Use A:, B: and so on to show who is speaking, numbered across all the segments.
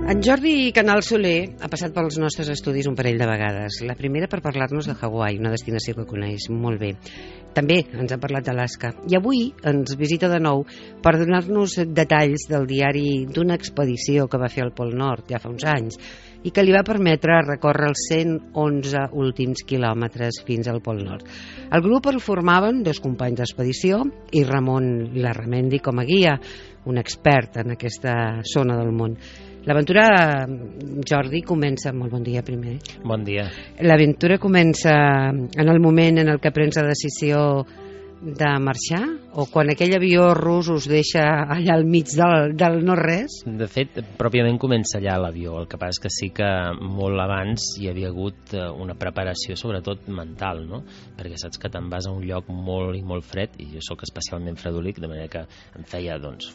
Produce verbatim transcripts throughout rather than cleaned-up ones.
A: En Jordi Canal Soler ha passat pels nostres estudis un parell de vegades. La primera per parlar-nos de Hawaii, una destinació que coneix molt bé. També ens ha parlat d'Alaska. I avui ens visita de nou per donar-nos detalls del diari d'una expedició que va fer al Pol Nord ja fa uns anys i que li va permetre recórrer els cent onze últims quilòmetres fins al Pol Nord. El grup el formaven dos companys d'expedició i Ramon Larramendi com a guia, un expert en aquesta zona del món. L'aventura, Jordi, comença... Molt bon dia, primer.
B: Bon dia.
A: L'aventura comença en el moment en el que prens la decisió de marxar? O quan aquell avió rus us deixa allà al mig del, del no-res?
B: De fet, pròpiament comença allà l'avió. El que passa és que sí que molt abans hi havia hagut una preparació, sobretot mental, no? Perquè saps que te'n vas a un lloc molt i molt fred, i jo sóc especialment fredòlic, de manera que em feia, doncs,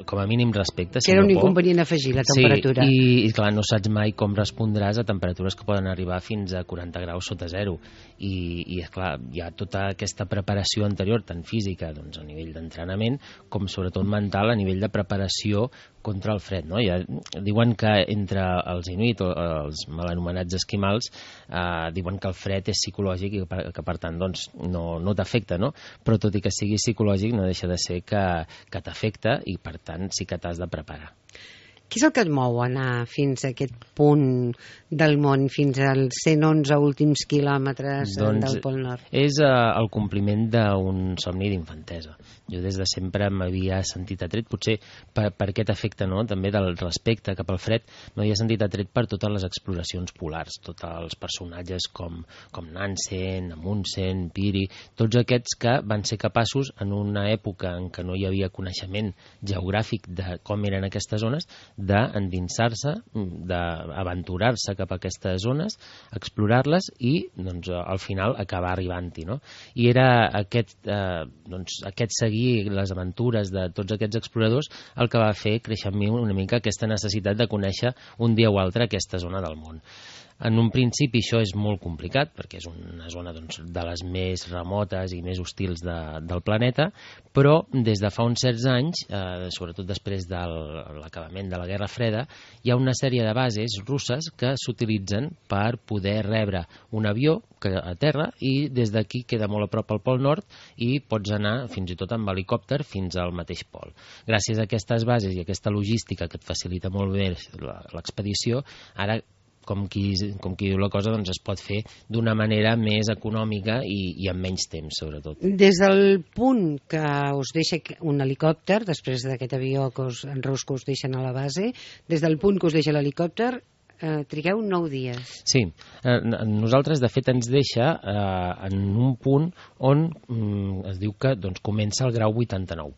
B: com a mínim respecte.
A: Que era un inconvenient afegir, la temperatura.
B: Sí, i, i clar, no saps mai com respondràs a temperatures que poden arribar fins a quaranta graus sota zero. I, i esclar, hi ha tota aquesta preparació anterior, tant física, doncs, a nivell d'entrenament, com sobretot mental a nivell de preparació contra el fred, no? Ja diuen que entre els inuit, o els mal anomenats esquimals, eh, diuen que el fred és psicològic i que, que per tant doncs, no, no t'afecta, no? Però tot i que sigui psicològic no deixa de ser que, que t'afecta i per tant sí que t'has de preparar.
A: Què és el que et mou anar fins a aquest punt del món, fins als cent onze últims quilòmetres doncs del Pol Nord?
B: És uh, el compliment d'un somni d'infantesa. Jo des de sempre m'havia sentit atret, potser per, per aquest efecte, no? També del respecte cap al fred, m'havia sentit atret per totes les exploracions polars, tots els personatges com, com Nansen, Amundsen, Peary, tots aquests que van ser capaços en una època en què no hi havia coneixement geogràfic de com eren aquestes zones, d'endinsar-se, d'aventurar-se cap a aquestes zones, explorar-les i doncs, al final acabar arribant-hi, no? I era aquest, eh, doncs, aquest seguir les aventures de tots aquests exploradors el que va fer créixer en mi una mica aquesta necessitat de conèixer un dia o altre aquesta zona del món. En un principi això és molt complicat perquè és una zona doncs, de les més remotes i més hostils de, del planeta, però des de fa uns certs anys, eh, sobretot després de l'acabament de la Guerra Freda, hi ha una sèrie de bases russes que s'utilitzen per poder rebre un avió que a terra i des d'aquí queda molt a prop al Pol Nord i pots anar fins i tot amb helicòpter fins al mateix pol. Gràcies a aquestes bases i a aquesta logística que et facilita molt bé l'expedició, ara com qui, com qui diu la cosa, doncs es pot fer d'una manera més econòmica i, i amb menys temps, sobretot.
A: Des del punt que us deixa un helicòpter, després d'aquest avió que us, en rus que us deixen a la base, des del punt que us deixa l'helicòpter, eh, trigueu nou dies.
B: Sí, eh, nosaltres de fet ens deixa eh, en un punt on mm, es diu que doncs, comença el grau vuitanta-nou.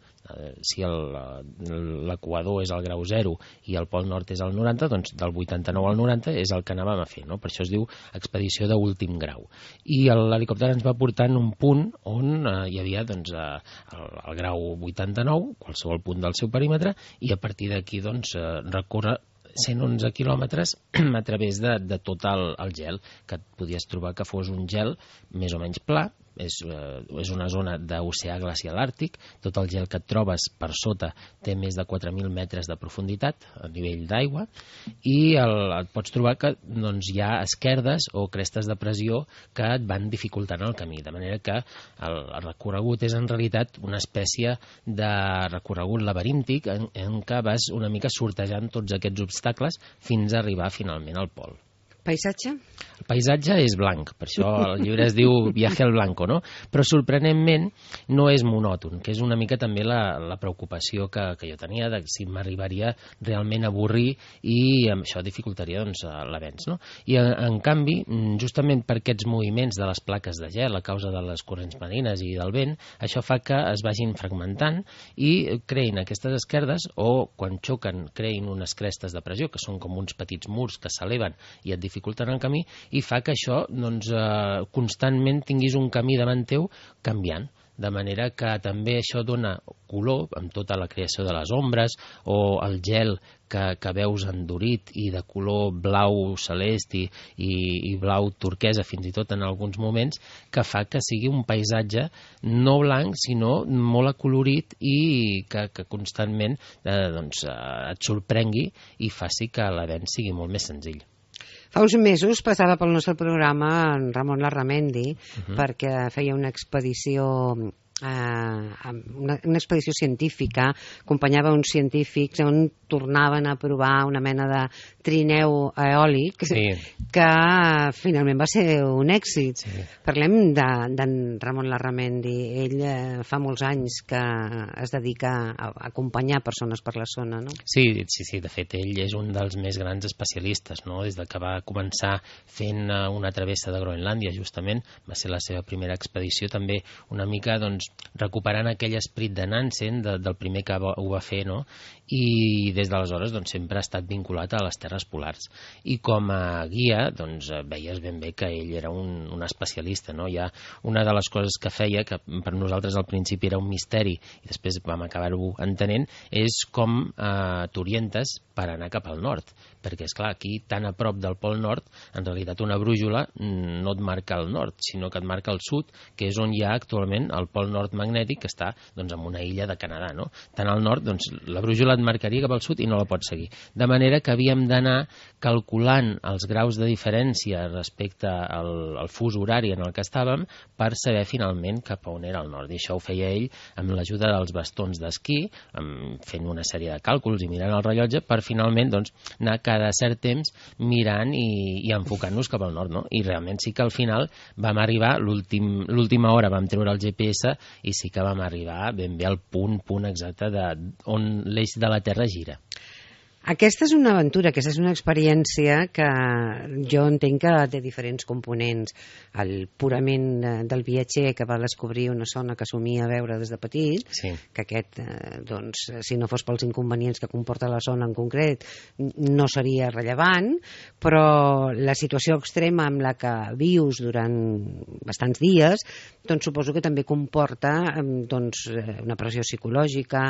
B: Si l'equador és el grau zero i el Pol Nord és el noranta, doncs del vuitanta-nou al noranta és el que anàvem a fer, no? Per això es diu expedició d'últim grau. I l'helicòpter ens va portar en un punt on eh, hi havia doncs, eh, el, el grau vuitanta-nou, qualsevol punt del seu perímetre, i a partir d'aquí doncs, eh, recórrer cent onze quilòmetres a través de, de tot el, el gel, que et podies trobar que fos un gel més o menys pla. És, eh, és una zona d'oceà glacial àrtic, tot el gel que et trobes per sota té més de quatre mil metres de profunditat a nivell d'aigua i el, et pots trobar que doncs, hi ha esquerdes o crestes de pressió que et van dificultant el camí, de manera que el, el recorregut és en realitat una espècie de recorregut laberíntic en, en què vas una mica sortejant tots aquests obstacles fins a arribar finalment al pol.
A: Paisatge?
B: El paisatge és blanc, per això el llibre es diu Viaje al Blanco, no? Però sorprenentment no és monòton, que és una mica també la, la preocupació que, que jo tenia de si m'arribaria realment a avorrir i això dificultaria doncs, l'avenç, no? I en, en canvi, justament per aquests moviments de les plaques de gel a causa de les corrents marines i del vent, això fa que es vagin fragmentant i creïn aquestes esquerdes o quan xoquen creïn unes crestes de pressió, que són com uns petits murs que s'eleven i et dificulten el camí i fa que això doncs, eh, constantment tinguis un camí davant teu canviant. de manera que també això dona color amb tota la creació de les ombres o el gel que, que veus endurit i de color blau celest i, i, i blau turquesa fins i tot en alguns moments, que fa que sigui un paisatge no blanc sinó molt acolorit i que, que constantment eh, doncs, eh, et sorprengui i faci que l'avenç sigui molt més senzill.
A: Fa uns mesos passava pel nostre programa en Ramon Larramendi uh-huh. perquè feia una expedició eh, una, una expedició científica, acompanyava uns científics on tornaven a provar una mena de trineu eòlic
B: sí.
A: que finalment va ser un èxit.
B: Sí.
A: Parlem d'en de, Ramon Larramendi. Ell eh, fa molts anys que es dedica a, a acompanyar persones per la zona, no?
B: Sí, sí, sí, de fet ell és un dels més grans especialistes, no? Des de que va començar fent una travessa de Groenlàndia, justament, va ser la seva primera expedició, també una mica doncs, recuperant aquell esperit de Nansen, de, del primer que ho va fer, no? I des d'aleshores doncs, sempre ha estat vinculat a les terres polars. I com a guia doncs, veies ben bé que ell era un, un especialista, no? Hi ha una de les coses que feia, que per nosaltres al principi era un misteri i després vam acabar-ho entenent, és com eh, t'orientes per anar cap al nord, perquè és clar, aquí tan a prop del Pol Nord, en realitat una brújula no et marca el nord, sinó que et marca el sud, que és on hi ha actualment el Pol Nord magnètic, que està doncs, en una illa de Canadà, no? Tant al nord, doncs, la brújula et marcaria cap al sud i no la pots seguir. De manera que havíem d'anar calculant els graus de diferència respecte al, al fus horari en el que estàvem per saber finalment cap a on era el nord. I això ho feia ell amb l'ajuda dels bastons d'esquí, fent una sèrie de càlculs i mirant el rellotge per finalment doncs, anar cada cert temps mirant i, i enfocant-nos cap al nord, no? I realment sí que al final vam arribar, l'última hora vam treure el G P S i sí que vam arribar ben bé al punt, punt exacte de on l'eix de la Terra gira.
A: Aquesta és una aventura, aquesta és una experiència que jo entenc que té diferents components. El purament del viatger que va descobrir una zona que somia veure des de petit,
B: sí.
A: que aquest, doncs, si no fos pels inconvenients que comporta la zona en concret, no seria rellevant, però la situació extrema amb la que vius durant bastants dies, doncs suposo que també comporta doncs, una pressió psicològica,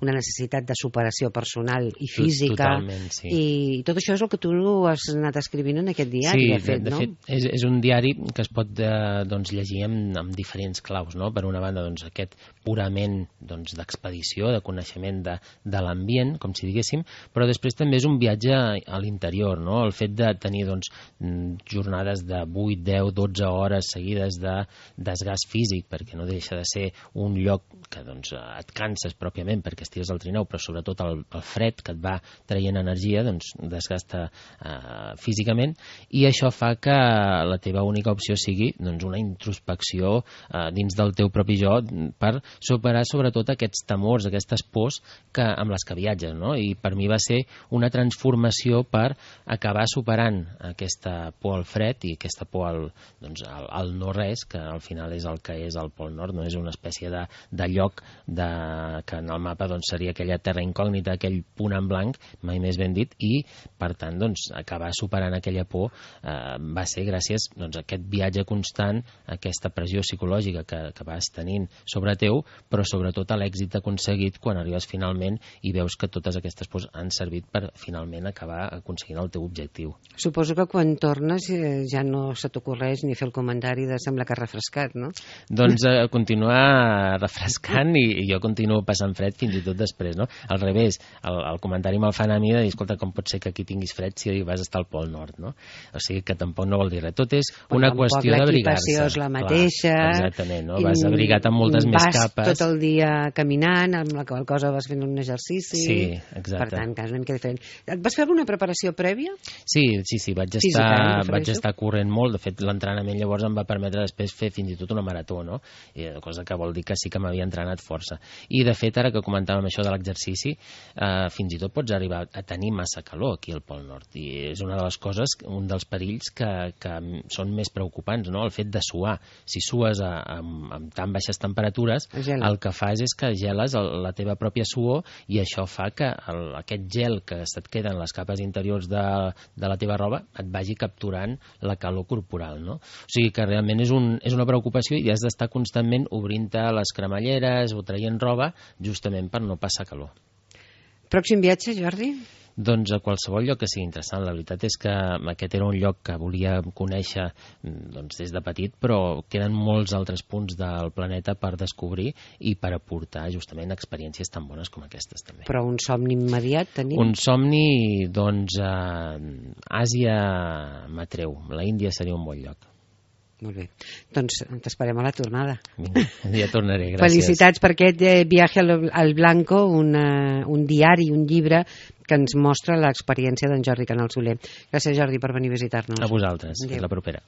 A: una necessitat de superació personal i física.
B: Totalment, sí.
A: I tot això és el que tu has anat escrivint en aquest diari,
B: sí,
A: de fet,
B: de, de
A: no?
B: fet, és, és un diari que es pot eh, doncs, llegir amb, amb diferents claus, no? Per una banda, doncs, aquest purament doncs, d'expedició, de coneixement de, de l'ambient, com si diguéssim, però després també és un viatge a l'interior, no? El fet de tenir doncs, jornades de vuit, deu, dotze hores seguides de desgast físic, perquè no deixa de ser un lloc que doncs, et canses pròpiament perquè estigues al trineu, però sobretot el, el fred que et va traient energia, doncs desgasta eh, físicament, i això fa que la teva única opció sigui doncs, una introspecció eh, dins del teu propi jo per superar sobretot aquests temors, aquestes pors que, amb les que viatges, no? I per mi va ser una transformació per acabar superant aquesta por al fred i aquesta por al, doncs, al, al no-res, que al final és el que és el Pol Nord, no? És una espècie de, de lloc de, que en el mapa doncs, seria aquella terra incògnita, aquell punt en blanc, mai més ben dit, i per tant doncs, acabar superant aquella por eh, va ser gràcies doncs, a aquest viatge constant, a aquesta pressió psicològica que, que vas tenint sobre teu, però sobretot a l'èxit aconseguit quan arribes finalment i veus que totes aquestes pors han servit per finalment acabar aconseguint el teu objectiu.
A: Suposo que quan tornes eh, ja no se t'ocorreix ni fer el comentari de sembla que has refrescat, no?
B: Doncs eh, continuar refrescant i, i jo continuo passant fred fins i tot després, no? Al revés, el, el comentari me'l fan a mi de dir, escolta, com pot ser que aquí tinguis fred si vas estar al Pol Nord, no? O sigui que tampoc no vol dir res. Tot és una
A: Però
B: qüestió d'abrigar-se.
A: L'equipació és la mateixa.
B: Clar, exactament, no? Vas abrigat amb moltes més capes.
A: Vas tot el dia caminant, amb la qual cosa vas fent un exercici.
B: Sí, exacte.
A: Per tant, que és una mica diferent. Et vas fer alguna preparació prèvia?
B: Sí, sí, sí, vaig
A: Física,
B: estar,
A: eh,
B: vaig estar corrent molt. De fet, l'entrenament llavors em va permetre després fer fins i tot una marató, no? I, cosa que vol dir que sí que m'havia entrenat força. I, de fet, ara que comentàvem això de l'exercici, eh, fins i tot pots arribar a, a tenir massa calor aquí al Pol Nord, i és una de les coses, un dels perills que, que són més preocupants, no? El fet de suar. Si sues a, a, amb tan baixes temperatures,
A: Gela.
B: el que fas és que geles el, la teva pròpia suor, i això fa que el, aquest gel que se't queda en les capes interiors de, de la teva roba et vagi capturant la calor corporal, no? O sigui que realment és, un, és una preocupació, i has d'estar constantment obrint-te les cremalleres o traient roba justament per no passar calor.
A: Pròxim viatge, Jordi?
B: Doncs a qualsevol lloc que sigui interessant. La veritat és que aquest era un lloc que volia conèixer doncs, des de petit, però queden molts altres punts del planeta per descobrir i per aportar justament experiències tan bones com aquestes també.
A: Però un somni immediat tenim?
B: Un somni, doncs, eh, Àsia m'atreu. La Índia seria un bon lloc.
A: Molt bé. Doncs t'esperem a la tornada.
B: Vinga, ja tornaré, gràcies.
A: Felicitats per aquest eh, viatge al, al Blanco, una, un diari, un llibre que ens mostra l'experiència d'en Jordi Canal Soler. Gràcies, Jordi, per venir a visitar-nos.
B: A vosaltres.
A: Adéu.
B: Fins la propera.